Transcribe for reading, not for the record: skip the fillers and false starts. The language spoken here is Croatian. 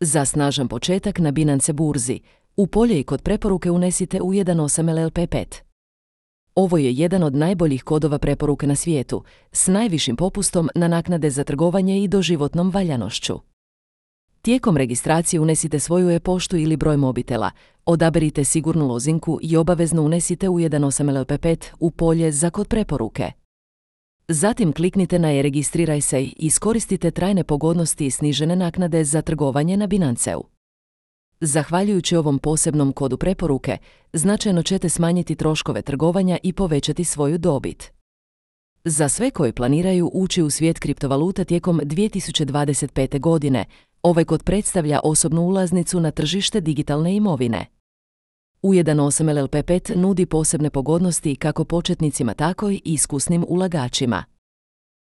Za snažan početak na Binance burzi, u polje i kod preporuke unesite U18LLP5. Ovo je jedan od najboljih kodova preporuke na svijetu, s najvišim popustom na naknade za trgovanje i doživotnom valjanošću. Tijekom registracije unesite svoju e-poštu ili broj mobitela, odaberite sigurnu lozinku i obavezno unesite U18LLP5 u polje za kod preporuke. Zatim kliknite na e-registriraj se i iskoristite trajne pogodnosti i snižene naknade za trgovanje na Binanceu. Zahvaljujući ovom posebnom kodu preporuke, značajno ćete smanjiti troškove trgovanja i povećati svoju dobit. Za sve koji planiraju ući u svijet kriptovaluta tijekom 2025. godine, ovaj kod predstavlja osobnu ulaznicu na tržište digitalne imovine. U18LLP5 nudi posebne pogodnosti kako početnicima tako i iskusnim ulagačima.